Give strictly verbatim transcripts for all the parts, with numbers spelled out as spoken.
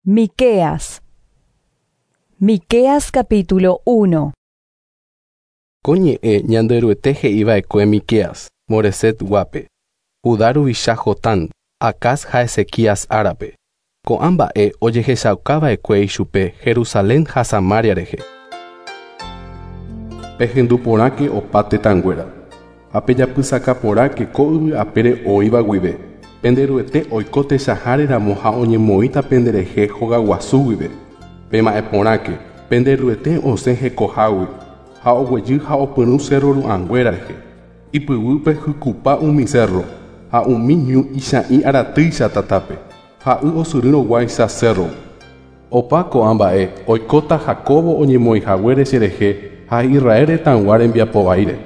Miqueas. Miqueas capítulo uno. Ko ñe'ẽ Ñanderuete he'iva'ekue Miqueas, Moreset guápe, Judá ruvicha Jotán, Acaz ha Ezequías árape. Ko'ã mba'e ojehechaukava'ekue ichupe Jerusalén ha Samaria rehe. Pehendu porãke opa tetãnguéra, ha pejapysaka porãke ko yvy apére oĩva guive. Penderuete oiko techaháreramo ha oñemoĩta penderehe hogaguasu guive. Pema'ẽ porãke, Penderuete osẽ hekohágui ha oguejy ha opyrũ cerro ru'ãnguéra rehe. Ipyguýpe hykupa umi cerro ha umi ñu icha'ĩ aratýicha tatápe ha y osyryrõguáicha cerro. Opa ko'ã mba'e oikóta Jacobo oñemoĩhaguére cherehe ha Israel retãygua rembiapovaíre.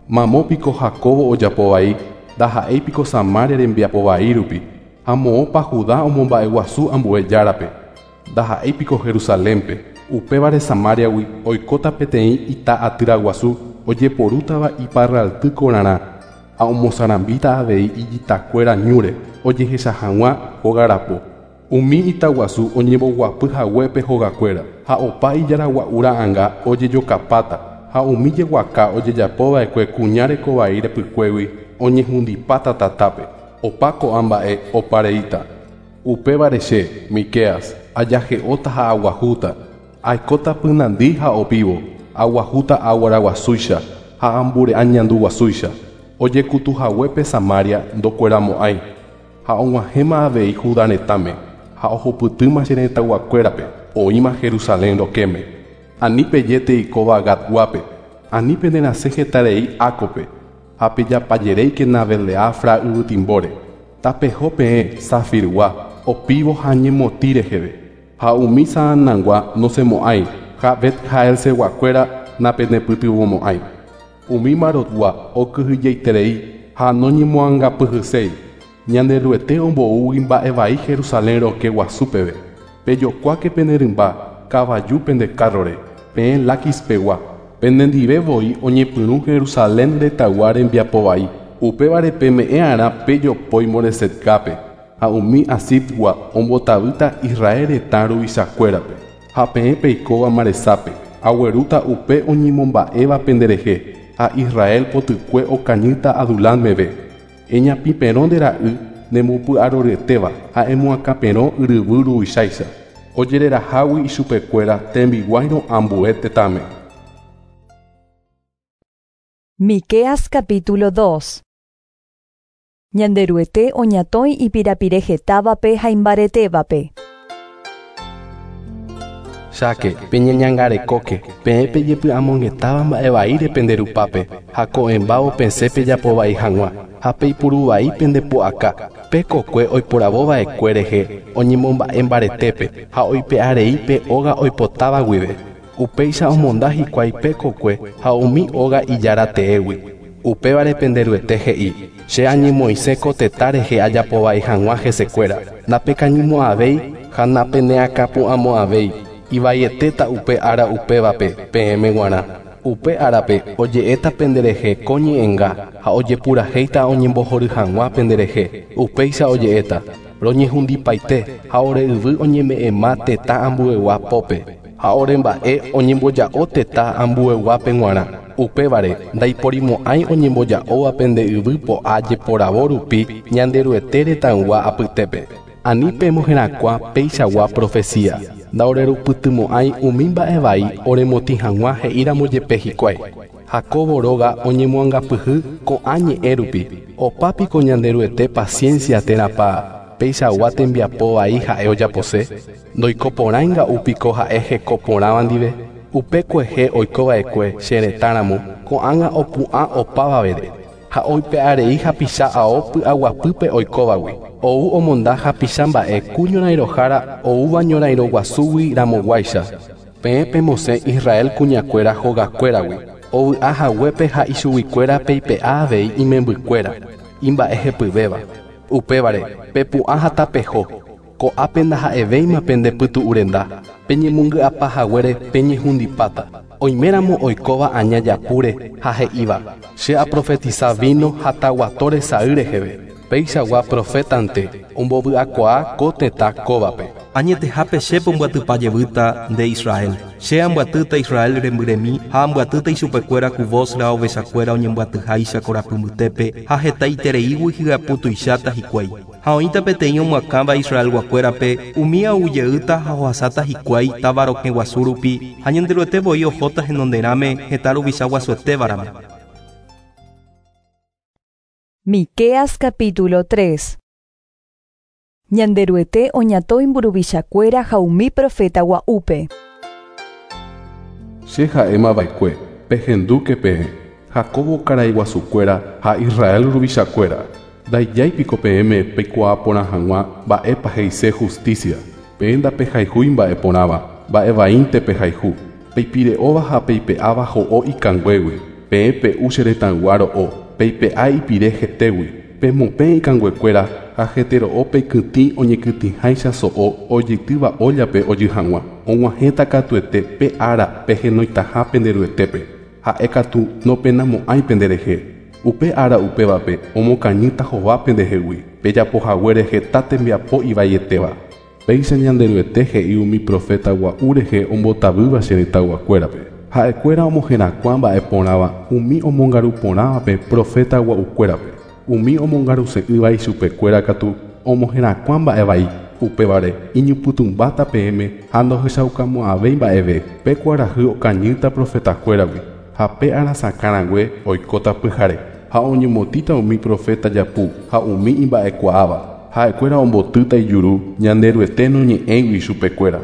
Mamópiko Jacobo ojapovai ndaha'éipiko Samaria rembiapovai rupi ha moõpa Judá omomba'eguasu ambue járape ndaha'éipiko Jerusalénpe. Upévare Samariagui oikóta peteĩ ita atýra guasu ojeporútava iparralty korarã ha omosarambíta avei ijitakuéra ñúre ojehecha hag̃ua hógarapo. Umi itaguasu oñemboguapy haguépe hogakuéra ha opa ijaragua'u ra'ãnga ojejokapáta ha umi jeguaka ojejapova'ekue kuña rekovai repykuégui oñehundipáta tatápe. Opa ko'ã mba'e opareíta. Upévare che, Miqueas, ajahe'óta ha aguahúta, aikóta pynandi ha opívo, aguahúta aguaraguasúicha ha ambure'a ñanduguasúicha. Ojekutuhaguépe Samaria ndokueramo'ãi ha og̃uahẽma avei Judá retãme ha ohupytýma che retãyguakuérape oĩma Jerusalén rokẽme. Ani pejéte ikóva Gatguápe, ani penerasẽ hetarei Ákope ha pejapajeréikena Beleafra yvytimbóre. Tapeho peẽ Safirgua opívo ha ñemotĩ reheve ha umi Saanangua nosẽmo'ãi ha Bet-Jaelseguakuéra napenepytyvõmo'ãi. Umi Marotgua okyhyjeiterei ha noñemoangapyhyséi. Ñanderuete omboúgui mba'evai Jerusalén rokẽ guasu peve. Pejokuáke pene rymba kavaju pende kárrore, peẽ Laquis pegua. Penendive voi oñepyrũ Jerusalén retãygua rembiapovai. Upévare peme'ẽ'arã pejopói Moresetgápe ha umi Asipgua ombotavýta Israel retã ruvichakuérape. Ha peẽ peikóva Maresápe, aguerúta upe oñemomba'éva penderehe ha Israel potykue okañýta Adulán meve. Eñapĩperõ nde ra'y nembopy'aroryetéva ha emoakãperõ yryvy ruvicháicha. Ojererahágui ichupekuéra tembiguáirõ ambue tetãme. Miqueas capítulo dos. Ñanderuete oñatõi ipirapire hetávape ha imbaretévape. Cháke, peñeñangarekóke, peẽ pejepy'amongetáva mba'evaíre penderupápe ha ko'ẽmbávo pesẽ pejapovai hag̃ua ha peipuruvai pendepu'aka. Pe kokue oiporavova'ekue rehe oñemomba'e mbaretépe ha oipe'arei pe óga oipotáva guive. Upéicha omonda hikuái pe kokue ha umi óga ijára teégui. Upévare Penderuete he'i, che añemoĩse ko tetã rehe ajapovai hag̃ua hesekuéra. Ndapekañymo'ãvéi ha napeneakãpu'ãmo'ãvéi. Ivaietéta upe ára upévape peẽme g̃uarã. Upe árape oje'éta penderehe ko ñe'ẽnga ha ojepurahéita oñembohory hag̃ua penderehe. Upéicha oje'éta, roñehundipaite ha ore yvy oñeme'ẽma tetã ambuegua pópe ha ore mba'e oñemboja'o tetã ambueguápe g̃uarã. Upévare ndaiporimo'ãi oñemboja'óva pende yvy po'a jeporavo rupi Ñanderuete retãygua apytépe. Ani pemoherakuã peichagua profecía. Ndaorerupytymo'ãi umi mba'evai oremotĩ hag̃ua he'íramo jepe hikuái. Jacobo róga oñemoangapyhy ko'ã ñe'ẽ rupi. Opápiko Ñanderuete paciencia térãpa peichagua tembiapovai ha'e ojapose. Ndoikoporãinga'úpiko ha'e hekoporãva ndive. Upe kuehe oikova'ekue che retãramo ko'ág̃a opu'ã opavavére ha oipe'arei hapicha ao py'aguapýpe oikóvagui. Ou omonda hapicha mba'e ku ñorairõhára oúva ñorairõguasúgui ramoguáicha. Peẽ pemosẽ Israel kuñakuéra hogakuéragui. Ovy'a haguépe ha ichuguikuéra peipe'a avei imembykuéra, imba'ehepyvéva. Upévare pepu'ã ha tapeho. Ko'ápe ndaha'evéima pendepytu'urenda. Peñemongy'apa haguére peñehundipáta. Oiméramo oikóva aña japúre ha he'íva, che aprofetiza vino ha taguatóre sa'y reheve. Peichagua profetante ombovy'akuaa ko tetã kóvape. Añetehápe che pombyatypa jevýta nde Israel. Che ambyatýta Israel rembyremi ha ambyatýta ichupekuéra ku Bosra ovechakuéra oñembyatyháicha korapy mbytépe ha hetaitereígui hyaputuicháta hikuái. Ha oĩta peteĩ omyakãva Israelguakuérape umi ahujeýta ha ohasáta hikuái táva rokẽ guasu rupi ha Ñanderuete voi ohóta henonderãme heta ruvicha guasuetévaramo. Miqueas capítulo tres. Ñanderuete oñatõi mburuvichakuéra ha umi profeta gua'úpe. Che ha'émava'ekue pehendúke peẽ Jacobo karaiguasukuéra ha Israel ruvichakuéra. Ndaijáipiko peẽme peikuaa porã hag̃ua mba'épa he'ise justicia. Peẽ ndapehayhúi mba'eporãva, mba'evaínte pehayhu. Peipire'óva ha peipe'áva ho'o ikanguégui. Peẽ pe'u che retãygua ro'o, peipe'a ipire hetégui. Pemopẽ ikanguekuéra ha hetero'o peikytĩ oñekytĩháicha so'o ojeitýva óllape ojy hag̃ua. Og̃uahẽta katuete pe ára pehenoitaha penderuetépe. Ha'ékatu nopenamo'ãi penderehe. Upe ára upévape omokañýta hova pendehegui. Pejapohaguére heta tembiapo ivaietéva. Péicha Ñanderuete he'i umi profeta gua'u rehe ombotavýva che retãyguakuérape. Ha'ekuéra omoherakuã mba'eporãva umi omongaruporãvape profeta gua'ukuérape. Umi omongaruse'ỹva ichupekuéra katu omoherakuã mba'evai. Upévare iñypytũmbáta peẽme ha ndohechaukamo'ãvéi mba'eve. Pe kuarahy okañýta profetakuéragui ha pe arasakãrangue oikóta pyhare. Ha oñemotĩta umi profeta japu ha umi imba'ekuaáva. Ha'ekuéra ombotýta ijuru Ñanderuete noñe'ẽgui ichupekuéra.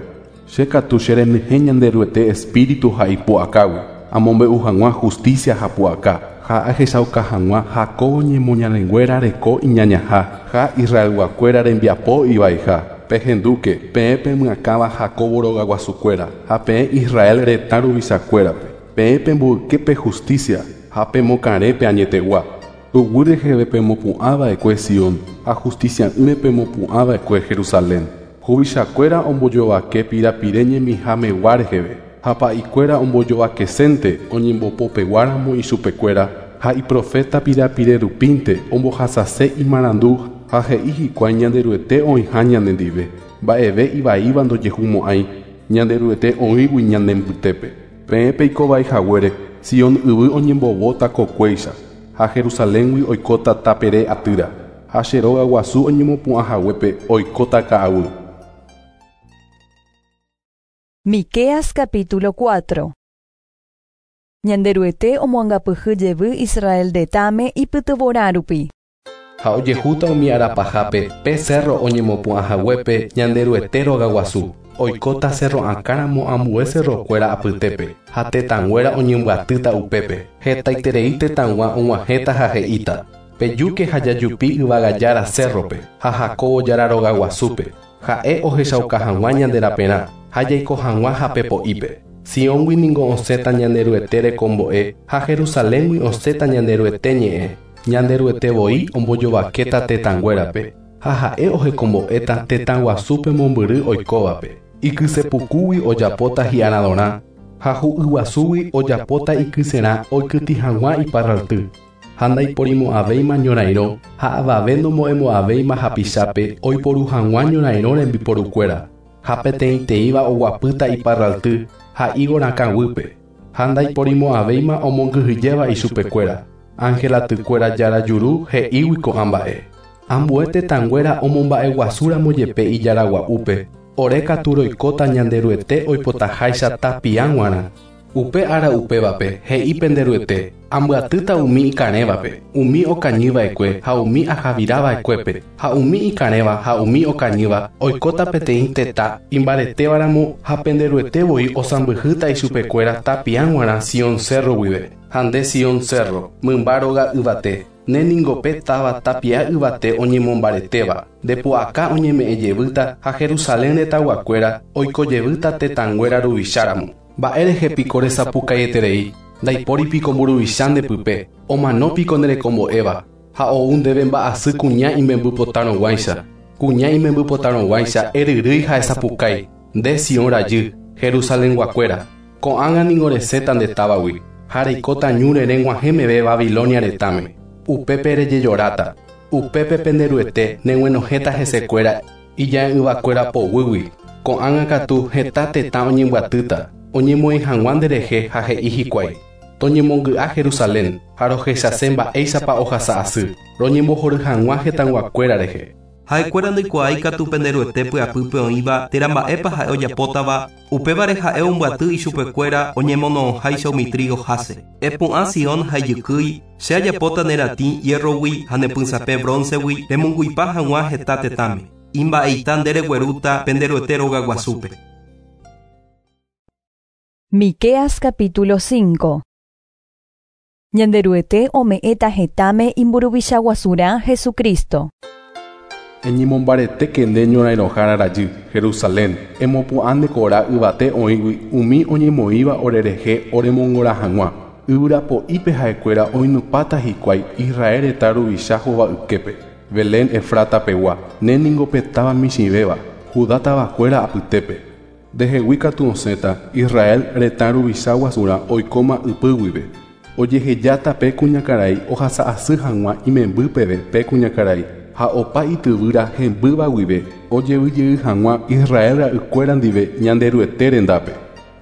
Che katu cherenyhẽ Ñanderuete espíritu ha ipu'akágui. Amombe'u hag̃ua justicia ha pu'aka. Ha ahechauka hag̃ua Jacobo ñemoñarenguéra reko iñañaha ha Israelguakuéra rembiapo ivaiha. Pehendúke peẽ pemyakãva Jacobo rogaguasukuéra ha peẽ Israel retã ruvichakuérape. Peẽ pemboyke pe justicia ha pemokarẽ pe añetegua. Tuguy reheve pemopu'ãva'ekue Sion ha justicia'ỹre pemopu'ãva'ekue Jerusalén. Huvichakuéra ombojovake pirapire ñemihamegua reheve. Ha pa'ikuéra ombojovakesénte oñembopopeguáramo ichupekuéra ha iprofeta pirapire rupínte ombohasase imarandu ha he'i hikuái Ñanderuete oĩha ñanendive. Mba'eve ivaíva ndojehumo'ãi Ñanderuete oĩgui ñanembytépe. Peẽ peikovaihaguére Sion yvy oñembovóta kokuéicha ha Jerusaléngui oikóta tapere atýra ha che róga guasu oñemopu'ãhaguépe oikóta ka'aguy. Miqueas capítulo cuatro. Ñanderuete omoangapyhy jevy Israel retãme ipytyvorã rupi. Ha ojehúta umi arapahápe pe cerro oñemopu'ãhaguépe Ñanderuete rogaguasu. Oikóta cerro akãramo ambue cerrokuéra apytépe ha tetãnguéra oñembyatýta upépe. Hetaiterei tetãgua og̃uahẽta ha he'íta. Pejúke ha jajupi yvagajára cerrope ha Jacobo jára rogaguasúpe. Ha'e ohechauka hag̃ua ñanderaperã ha jaiko hag̃ua hapepo'ípe. Sióngui ningo osẽta Ñanderuete rekombo'e ha Jerusaléngui osẽta Ñanderuete ñe'ẽ. Ñanderuete voi ombojovakéta tetãnguérape ha ha'e ohekombo'éta tetãguasúpe mombyry oikóvape. Ikysepukúgui ojapóta hi'aradorã ha hu'yguasúgui ojapóta ikyserã oikytĩ hag̃ua iparralty. Ha ndaiporimo'ãvéima ñorairõ ha avave nomo'ẽmo'ãvéima hapichápe oiporu hag̃ua ñorairõ rembiporukuéra. Ha peteĩteĩva oguapýta iparralty ha higo rakãguýpe. Ha ndaiporimo'ãvéima omongyhyjéva ichupekuéra. Angelatykuéra jára juru he'ígui ko'ã mba'e. Ambue tetãnguéra omomba'eguasúramo jepe ijaragua'úpe. Ore katu roikóta Ñanderuete oipotaháicha tapiá g̃uarã. Upe ára upévape he'i penderuete ambyatýta umi ikarẽvape, umi okañyva'ekue ha umi ahavirava'ekuépe, ha umi ikarẽva ha umi okañýva oikóta peteĩ tetã imbaretévaramo ha penderuete voi osãmbyhýta ichupekuéra tapiá g̃uarã Sion cerro guive. Ha nde Sion cerro, mymba róga yvate, ne ningo pe táva tapia yvate oñemombaretéva. Ndepu'aka oñeme'ẽjevýta ha Jerusalén retãguakuéra oikojevýta tetãnguéra ruvicháramo. Mba'érehe piko resapukaieterei, ndaipóripiko mburuvicha ndepype, omanópiko nderekombo'éva, ha ou ndéve mba'asy kuña imembypotarõguáicha. Kuña imembypotarõguáicha eryrýi ha esapukái, nde Sion rajy, Jerusalenguakuéra. Ko'ág̃a ningo resẽta nde távagui, ha reikóta ñúre reg̃uahẽ meve Babilonia retãme. Upépe rejejoráta, upépe penderuete neg̃uenohẽta hesekuéra ija'e'ỹvakuéra poguýgui. Ko'ág̃a katu heta tetã oñembyatýta, oñemoĩ hag̃ua nderehe ha he'i hikuái. Toñemongy'a Jerusalén ha rohechase mba'éichapa ohasa asy, roñembohory hag̃ua hetãyguakuéra rehe. Ha'ekuéra ndoikuaái katu penderuete py'apýpe oĩva térã mba'épa ha'e ojapótava, upévare ha'e ombyaty ichupekuéra oñemono'õháicha umi trigo háse. Epu'ã Sion ha ijykýi, che ajapóta ne ratĩ hierrogui ha ne pysãpẽ broncegui remongu'ipa hag̃ua heta tetãme. Imba'eita nde reguerúta penderuete rogaguasúpe. Miqueas capítulo cinco. Ñanderuete ome'ẽta hetãme imburuvicha guasurã Jesucristo. Eñemombaretéke nde ñorairõhára rajy, Jerusalén, emopu'ã nde kora yvate oĩgui umi oñemoĩva orerehe oremongora hag̃ua. Yvyrapo'ípe ha'ekuéra oinupãta hikuái Israel retã ruvicha hova'yképe. Belén Efrata pegua, ne ningo pe táva michĩvéva, Judá tavakuéra apytépe. Ndehegui katu osẽta Israel retã ruvicha guasurã oikóma ypy guive. Ojehejáta pe kuñakarai ohasa asy hag̃ua imemby peve pe kuñakarai ha opa ityvýra hembýva guive ojevyjey hag̃ua Israel ra'ykuéra ndive Ñanderuete rendápe.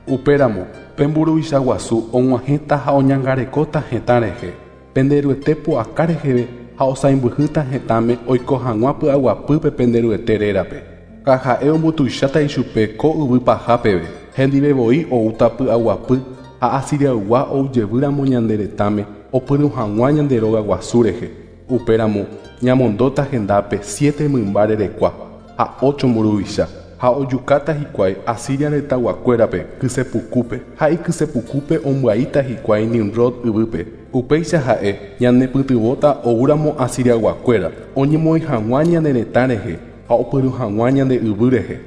Upéramo pe mburuvicha guasu og̃uahẽta ha oñangarekóta hetã rehe, penderuete pu'aka reheve ha osãimbyhýta hetãme oiko hag̃ua py'aguapýpe penderuete rérape. Ha ha'e ombotuicháta ichupe ko yvy paha peve, hendivevoi oúta py'aguapy ha Asiriaygua oujevýramo ñande retãme opyrũ hag̃ua ñande róga guasu rehe. Upéramo ñamondóta hendápe siete mymba rerekua ha ocho mburuvicha ha ojukáta hikuái Asiria retãyguakuérape kysepukúpe ha ikysepukúpe ombyaíta hikuái Nimrod yvýpe. Upéicha ha'e ñanepytyvõta oúramo Asiriayguakuéra oñemoĩ hag̃ua ñane retã rehe ha opyrũ hag̃ua ñande yvy rehe.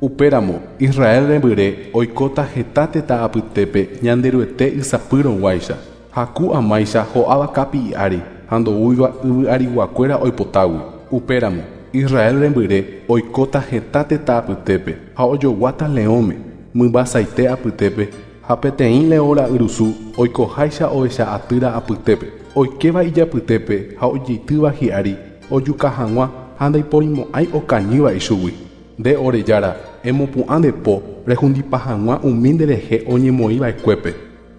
Upéramo Israel rembyre oikóta heta tetã apytépe Ñanderuete ysapýrõguáicha ha ku amáicha ho'áva kapi'i ári ha ndoúiva yvy ariguakuéra oipotágui. Upéramo Israel rembyre oikóta heta tetã apytépe ha ojoguáta leõme mymbasaite apytépe ha peteĩ leõ ra'yrusu oikoháicha ovecha atýra apytépe oikéva ijapytépe ha ojeitýva hi'ári ojuka hag̃ua ha ndaiporimo'ãi okañýva ichugui. Nde ore jára, emopu'ã nde po rehundipa hag̃ua umi nderehe oñemoĩva'ekuépe.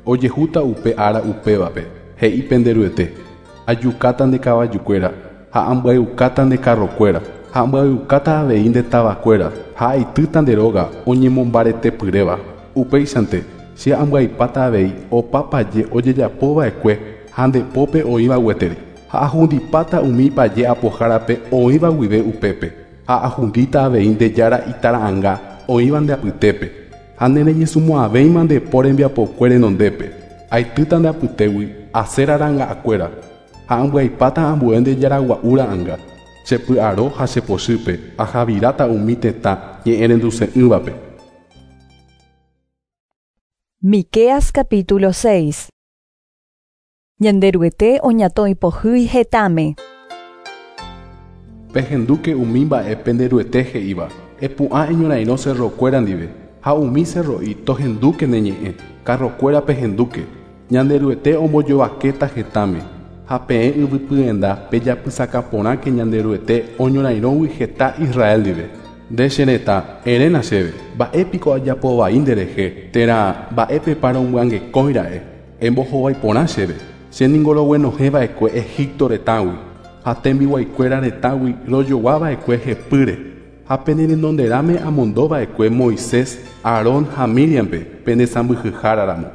Ojehúta upe ára upévape, he'i penderuete. Ajukáta nde kavajukuéra ha ambyaiukáta nde carrokuéra ha ambyaiukáta avei nde tavakuéra ha aitýta nde róga oñemombaretepyréva. Upéichante che ambyaipáta avei opa paje ojejapova'ekue ha nde pópe oĩva gueteri. Ha ahundipáta umi paje apohárape oĩva guive upépe. Ha ahundíta avei nde jára itara'ãnga oĩva nde apytépe. Ha nereñesũmo'ãvéima nde po rembiapokue renondépe. Aitýta nde apytégui Asera ra'ãngakuéra ha ambyaipáta ambue nde jára gua'u ra'ãnga. Chepy'aro ha chepochýpe ahaviráta umi tetã ñe'ẽrenduse'ỹvape. Miqueas capítulo seis. Ñanderuete oñatõi pohýi hetãme. Pehendúke umi mba'e penderuete he'íva, epu'ã eñorairõ cerrokuéra ndive, ha umi cerro'i tohendúke ne ñe'ẽ, carrokuéra pehendúke. Ñanderuete ombojovakéta hetãme, ha peẽ yvypyenda pejapysaka porãke Ñanderuete oñorairõgui heta Israel ndive. Nde che retã, eréna chéve, mba'épiko ajapovai nderehe, térã mba'épepa romyangekõira'e, embohovái porã chéve. Che ningo roguenohẽva'ekue Egipto retãgui, ha tembiguaikuéra retãgui rojoguava'ekue hepýre. Ha pene renonderãme amondova'ekue Moisés, Aarón ha Miriampe penesãmbyhyháraramo.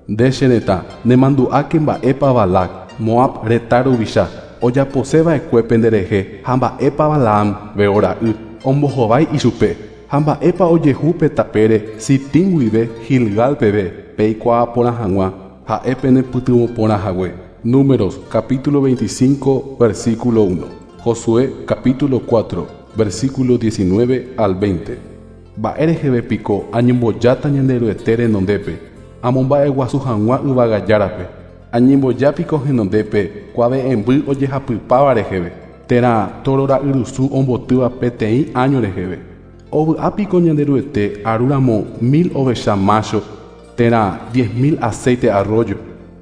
Nde che retã, nemandu'áke mba'épa Balac, Moab retã ruvicha, ojaposeva'ekue penderehe ha mba'épa Balaam Beor ra'y ombohovái ichupe ha mba'épa ojehu pe tapére Sitim guive Gilgal peve peikuaa porã hag̃ua ha'e penepytyvõ porã hague. Números capítulo veinticinco versículo uno. Josué capítulo cuatro versículo diecinueve al veinte. Mba'e reheve piko añembojáta Ñanderuete renondépe, amomba'eguasu hag̃ua yvagajárape. Añembojápiko henondépe kuave'ẽmby ojehapypáva reheve, térã toro ra'yrusu ombotýva peteĩ año reheve. Ovy'ápiko Ñanderuete arúramo mil ovecha macho, térã diez mil aceite arroyo,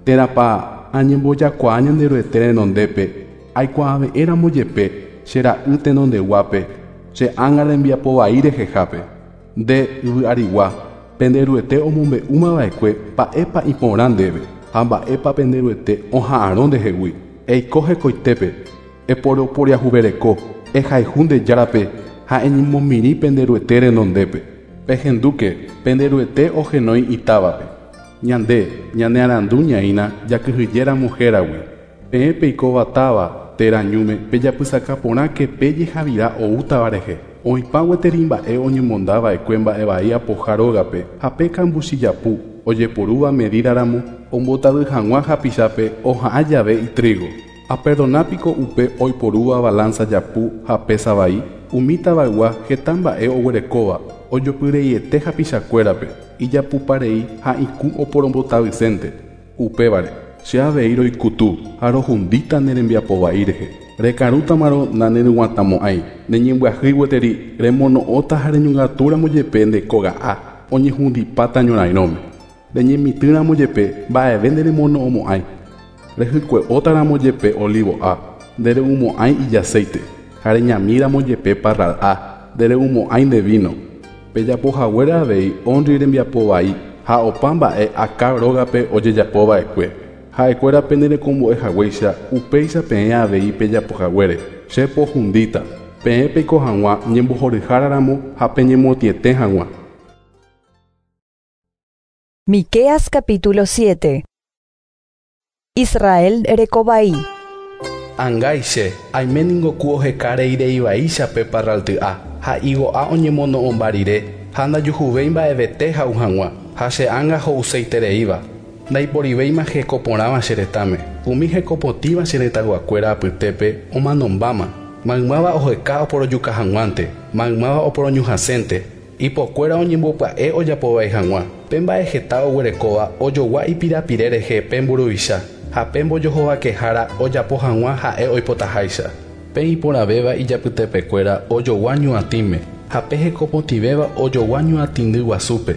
térãpa añembojakuaa Ñanderuete renondépe, aikuaave'ẽramo jepe che ra'y tenondeguápe, che ánga rembiapo vai rehehápe. Nde yvy arigua, pende Ruete omombe'úmava'ekue mba'épa iporã ndéve ha mba'épa pende Ruete oha'arõ ndehegui. Eiko hekoitépe, eporoporiahuvereko, ehayhu nde Járape ha eñemomirĩ pende Ruete renondépe. Pehendúke pende Ruete ohenói itávape. Ñande, ñane arandu ñaína jakyhyjéramo héragui. Peẽ peikóva táva térã ñúme pejapysaka porãke pe jehavira oútava rehe. Oĩpa gueteri mba'e oñemondava'ekue mba'evai apoha rógape ha pe kambuchijapu ojeporúva medíraramo ombotavy hag̃ua hapichápe oha'ã jave itrigo. Aperdonapiko upe oiporúva balanza japu ha pesa vai, umi tavaygua heta mba'e oguerekóva ojopyreiete hapichakuérape, ijapuparei ha ikũ oporombotavysénte. Upévare, che avei roikutu ha rohundíta ne rembiapovai rehe. Rekarútamarõ naneryguatãmo'ãi, neñembyahýi gueteri remono'õta ha reñongatúramo jepe nde kóga'a oñehundipáta ñorairõme. Reñemitỹramo jepe mba'eve nderemono'õmo'ãi. Rehykue'ótaramo jepe olivo'a, ndere'umo'ãi ijaceite, ha reñamíramo jepe parral'a, ndere'umo'ãi nde vino. Pejapohaguére avei Omri rembiapovai ha opa mba'e Acab rógape ojejapova'ekue. Ha'ekuéra penderekombo'ehaguéicha upéicha peẽ avei pejapohaguére. Che pohundíta, peẽ peiko hag̃ua ñembohoryháraramo ha peñemotĩete hag̃ua. Miqueas capítulo siete. Israel rekovai. Angaiche, aime ningo ku oheka reireivaíchape parralty'a ha igo'a oñemono'õmba rire ha ndajuhuvéi mba'evete ha'u hag̃ua ha che ánga ho'useitereíva. Ndaiporivéima hekoporãva che retãme. Umi hekopotĩva che retãyguakuéra apytépe omanombáma. Maymáva oheka oporojuka hag̃uánte, maymáva oporoñuhãsénte. Ipokuéra oñembopya'e ojapovai hag̃ua. Pe mba'e heta oguerekóva ojogua ipirapire rehe pe mburuvicha ha pe mbojohovakehára ojapo hag̃ua ha'e oipotaháicha. Pe iporãvéva ijapytepekuéra ojogua ñuatĩme ha pe hekopotĩvéva ojogua ñuatĩndy guasúpe.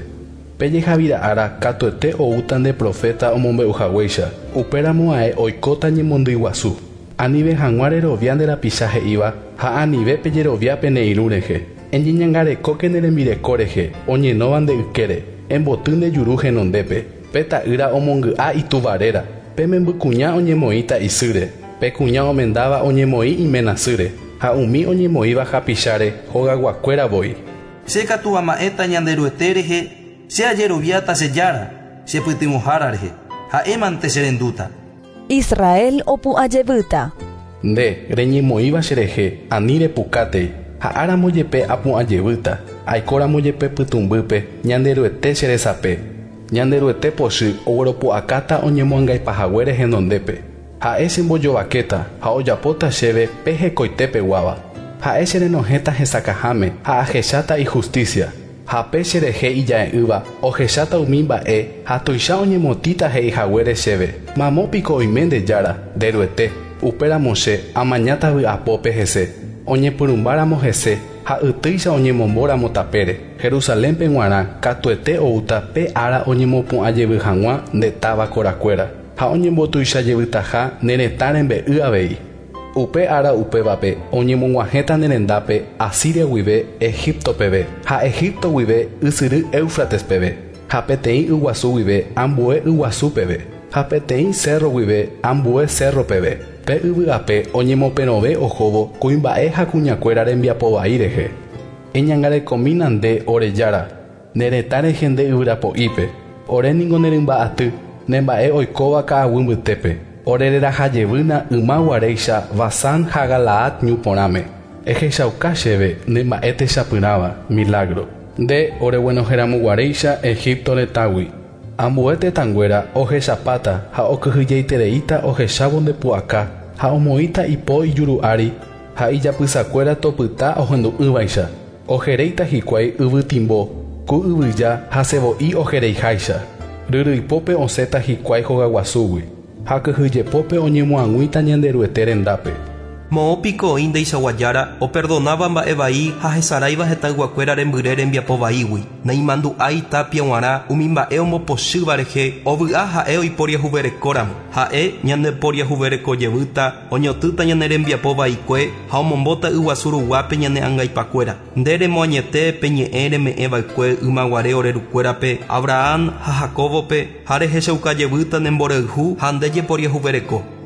Pe jehavira'ára katuete oúta nde profeta omombe'uhaguéicha. Upéramo ae oikóta ñemondýi guasu. Anive hag̃ua rerovia nde rapicha he'íva ha anive pejerovia pene irũ rehe. Eñeñangarekóke ne rembireko rehe, oñenóva nde ykére, emboty nde juru henondépe. Pe ta'ýra omongy'a ituvaréra, pe membykuña oñemoĩta isýre, pe kuña omendáva oñemoĩ imenasýre, ha umi oñemoĩva hapicháre hogaguakuéra voi. Che katu ama'ẽta Ñanderuete rehe, che ajeroviáta che Jára, che pytyvõhára rehe, ha'émante che rendúta. Israel opu'ãjevýta. Nde reñemoĩva cherehe, ani repukátei, ha'áramo jepe apu'ãjevýta, aikóramo jepe pytũmbýpe, Ñanderuete che resape. Ñanderuete pochy ogueropu'akáta oñemoangaipahaguére henondépe. Ha'e chembojovakéta ha ojapóta chéve pe hekoitépeguáva. Ha'e cherenohẽta hesakãháme ha ahecháta ijusticia. Ha pe cherehe ija'e'ỹva ohecháta umi mba'e ha tuicha oñemotĩta he'ihaguére chéve. Mamópiko oime nde Jára, nde Ruete. Upéramo che amañáta vy'apópe hese. Oñepyrũmbáramo hese ha ytýicha oñemombóramo tapére. Jerusalénpe g̃uarã katuete oúta pe ára oñemopu'ãjevy hag̃ua nde táva korakuéra ha oñembotuichajevytaha ne retã rembe'y avei. Upe ára upévape oñemog̃uahẽta ne rendápe Asiria guive Egipto peve ha Egipto guive ysyry Éufrates peve ha peteĩ yguasu guive ambue yguasu peve ha peteĩ cerro guive ambue cerro peve. Pe yvy'ape oñemoperõve ohóvo kuimba'e ha kuñakuéra rembiapovai rehe. Eñangarekomína nde ore Jára, ne retã rehe nde yvyrapo'ípe. Ore ningo ne rymba'aty, ne mba'e oikóva ka'aguy mbytépe. Ore rerahajevýna yma guaréicha Basán ha Galaad ñu porãme. Ehechauka chéve ne mba'e techapyrãva, milagro. Nde oreguenoheramoguaréicha Egipto retãgui. Ambue tetãnguéra ohechapáta ha okyhyjeitereíta ohechávo nde pu'aka ha omoĩta ipo ijuru ári ha ijapysakuéra topyta ohendu'ỹvaicha. Ojeréita hikuái yvytimbo, ku yvyja ha sevo'i ojereiháicha. Ryryipópe osẽta hikuái hogaguasúgui ha kyhyjepópe oñemoag̃uíta Ñanderuete rendápe. Moõ piko oĩ ndeichaguajára operdonaba mba'e vai ha hesaráiva hetãyguakuéra rembyre rembiapo vaígui. Naimandu'ái tapia g̃uarã umi mba'e ombopochýva rehe ovy'a ha'e oiporiahuverekóramo. Ha'e ñandeporiahuverekojevýta oñotỹta ñane rembiapo vaikue ha omombóta yguasu ruguápe ñane angaipakuéra. Nde remoañete pe ñe'ẽ reme'ẽva'ekue ymaguare ore rukuérape Abraham ha Jacobope ha rehechaukajevýta ne mborayhu ha nde jeporiahuvereko.